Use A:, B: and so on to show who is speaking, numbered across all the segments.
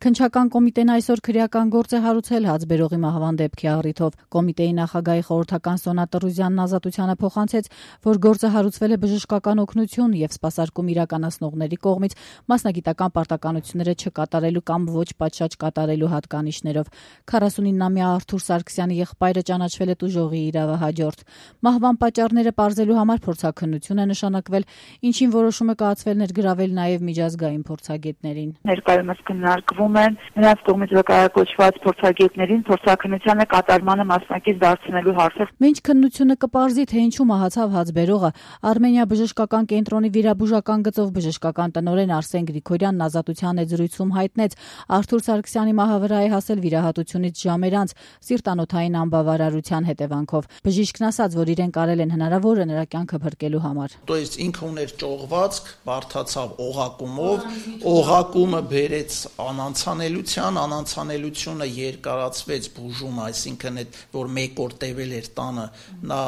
A: Քննչական կոմիտեն այսօր քրեական գործ է հարուցել Հացբերողի մահվան դեպքի առիթով։ Կոմիտեի նախագահի խորհրդական Սոնա Տրուզյանն Ազատությանը փոխանցեց, որ գործը հարուցվել է բժշկական օգնություն եւ սպասարկում իրականացնողների կողմից մասնագիտական պարտականությունները չկատարելու կամ ոչ պատշաճ կատարելու հատկանիշներով։ 49-ամյա Արթուր Սարգսյանի եղբայրը ճանաչվել է տուժողի իրավահաջորդ։ Մահվան պատճառները պարզելու համար փորձաքննություն է նշանակվել, ինչին որոշում է կայացվել ներգրավել նաեւ միջազգային փորձագետներին։
B: Ներկայումս քննարկվում են նրանց կողմից վկայակոչված փորձագետներին փորձաքննության կատարմանը մասնակից դարձնելու հարցը։
A: Մինչ քննությունը կպարզի, թե ինչու մահացավ Հացբերողը, Արմենիա բժշկական կենտրոնի վիրաբուժական գծով բժշկական տնօրեն Արսեն Գրիգորյանն Ազատության եզրույցում հայտնեց, Արթուր Սարգսյանի մահը վրա է հասել վիրահատությունից ժամեր անց սիրտանոթային անբավարարության հետևանքով։ Բժիշկն ասաց, որ իրեն կարել են հնարավորը նրա կյանքը փրկելու համար։
C: То есть ինքը ուներ ճողվածք, բարթացավ օղակումով, օղակումը բերեց անանցանելությունը երկարացվեց բուժումը, այսինքն այդ որ մեկ օր տևել էր տանը, նա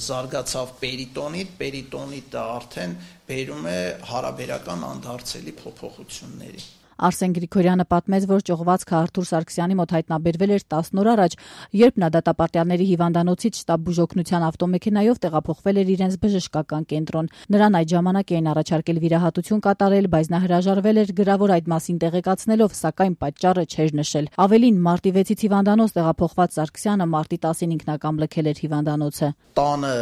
C: զարգացավ պերիտոնիտը արդեն բերում է հարաբերական անդարձելի փոփոխությունների։
A: Արսեն Գրիգորյանը պատմեց, որ ճողվածքը Արթուր Սարգսյանի մոտ հայտնաբերվել էր 10 օր առաջ, երբ նա դատապարտյալների հիվանդանոցից շտաբ բուժօգնության ավտոմեքենայով տեղափոխվել էր իրենց բժշկական կենտրոն։ Նրան այդ ժամանակ էին առաջարկել վիրահատություն կատարել, բայց նա հրաժարվել էր գրավոր այդ մասին տեղեկացնելով, սակայն պատճառը չէր նշել։ Ավելին, մարտի 6-ից հիվանդանոց տեղափոխված Սարգսյանը մարտի 10-ին ինքնակամ լքել էր հիվանդանոցը։
C: Տանը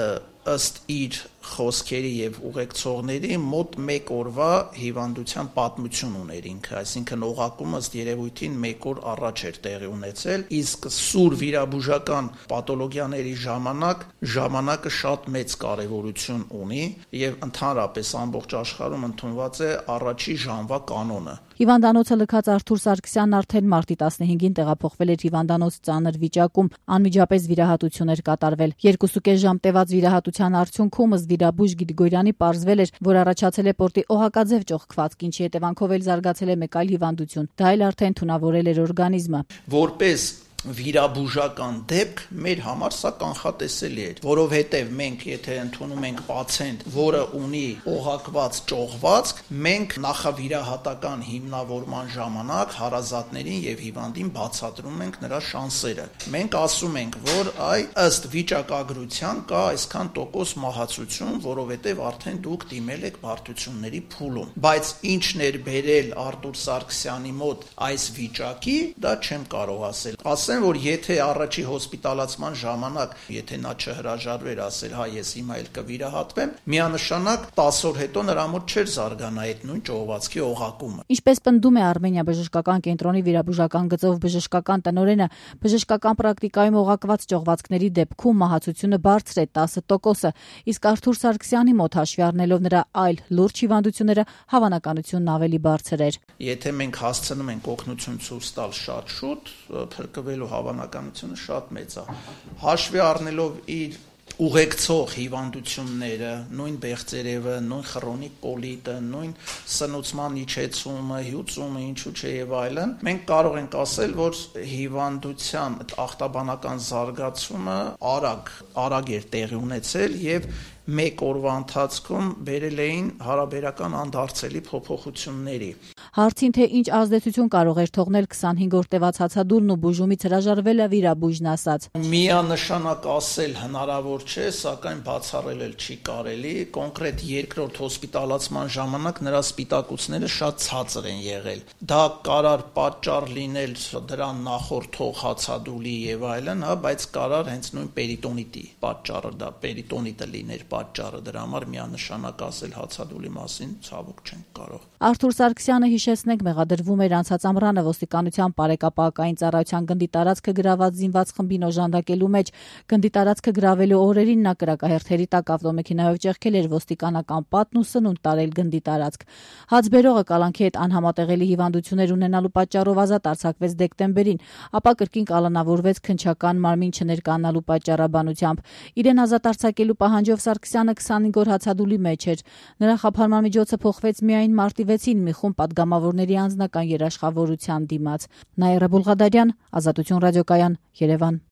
C: ըստ իր խոսքերի եւ ուղեկցողների մոտ 1 օրվա հիվանդության պատմություն ուներ ինքը, այսինքն օղակումը ըստ երևույթին 1 օր առաջ էր տեղի ունեցել, իսկ սուր վիրաբուժական պաթոլոգիաների ժամանակը շատ մեծ կարեւորություն ունի եւ ընդհանրապես ամբողջ աշխարհում ընդունված է առաջի ժամվա կանոնը։
A: Հիվանդանոցը լքած Արթուր Սարգսյանն արդեն մարտի 15-ին տեղափոխվել էր հիվանդանոց ծանր վիճակում, անմիջապես վիրահատություն էր կատարվել։ 2.5 ժամ տևած վիրահատության արդյունքում ըստ վիրաբույժ Գրիգորյանի պարզվել էր, որ առաջացել է պորտի օղակաձև ճողքվածք, ինչի հետևանքով էլ զարգացել է մեկ այլ հիվանդություն։ Դա էլ արդեն թունավորել էր օրգանիզմը։
C: Որպես վիրաբուժական դեպք մեր համար սա կանխատեսելի էր, որովհետև մենք եթե ընդունում ենք պացիենտ, որը ունի օղակված ճողվածք, մենք նախավիրահատական հիմնավորման ժամանակ հարազատներին եւ հիվանդին բացատրում ենք նրա շանսերը։ Մենք ասում ենք, որ ըստ վիճակագրության կա այսքան տոկոս մահացություն, որովհետև արդեն դուք դիմել եք բարդությունների փուլում։ Բայց ինչն էր բերել Արթուր Սարգսյանի մոտ այս վիճակի, դա չեմ կարող ասել։ Որ եթե առաջի հոսպիտալացման ժամանակ, եթե նա չհրաժարվեր ասել, հա ես հիմա էլ կվիրահատվեմ, միանշանակ 10 օր հետո նրա մոտ չէր զարգանա այդ նույն ճողվածքի օղակումը։
A: Ինչպես պնդում է Արմենիա բժշկական կենտրոնի վիրաբուժական գծով բժշկական տնօրենը, բժշկական պրակտիկայում օղակված ճողվածքների դեպքում մահացությունը բարձր է 10%, իսկ Արթուր Սարգսյանի մոտ հաշվի առնելով նրա այլ լուրջ հիվանդությունները, հավանականությունն ավելի բարձր էր։
C: Եթե մենք հասցնում ենք օգնություն ցույց տալ շատ շուտ, փրկվելու հավանականությունը շատ մեծ է։ Հաշվի առնելով իր ուղեկցող հիվանդությունները, նույն բեղձերևը, նույն խրոնիկ կոլիտը, նույն սնուցման իջեցումը, հյուծումը, ինչու՞ չէ եւ այլն, մենք կարող ենք ասել, որ հիվանդության ախտաբանական զարգացումը արագ էր տեղի ունեցել եւ մեկ օրվա ընթացքում բերել էին հարաբերական անդարձելի փոփոխությունների։
A: Հարցին, թե ինչ ազդեցություն կարող էր թողնել 25 օր տևած հացադուլն ու բուժումից հրաժարվելը, վիրաբույժն ասաց.
C: Միանշանակ ասել հնարավոր չէ, սակայն բացառել չի կարելի։ Կոնկրետ երկրորդ հոսպիտալացման ժամանակ նրա սպիտակուցները շատ ցածր են եղել։ Դա կարար պատճառ լինել դրան նախորդող հացադուլի եւ այլն, բայց կարար հենց նույն պերիտոնիտի պատճառը, դա պերիտոնիտը լիներ պատճառը, դրա համար միանշանակ ասել հացադուլի մասին ցավոք չենք կարող։
A: Արթուր Սարգսյանը, հիշեցնենք, մեղադրվում էր անցած ամռանը ոստիկանության բարեկապակային ծառայության գնդի տարածքը գրաված զինված խմբին օժանդակելու մեջ։ Գնդի տարածքը գրավելու օրերին նա կրակահերթերի տակ ավտոմեքենայով ճեղքել էր ոստիկանական պատն ու սնունդ տարել գնդի տարածք։ Հացբերողը կալանքի հետ անհամատեղելի հիվանդություններ ունենալու պատճառով ազատ արձակվեց դեկտեմբերին, ապա կրկին կալանավորվեց քննչական մարմին չներկայանալու պատճառաբանությամբ։ Իրեն ազատ արձակելու պահանջով Սարգսյանը 25 օր հացադուլի մեջ էր։ Նրա խափանման միջոցը փոխվեց միայն մարտի 6-ին մի խումբ պատգամավորների անձնական երաշխավորության դիմաց։ Նաիրա Բուլղադարյան, Ազատություն ռադիոկայան, Երևան։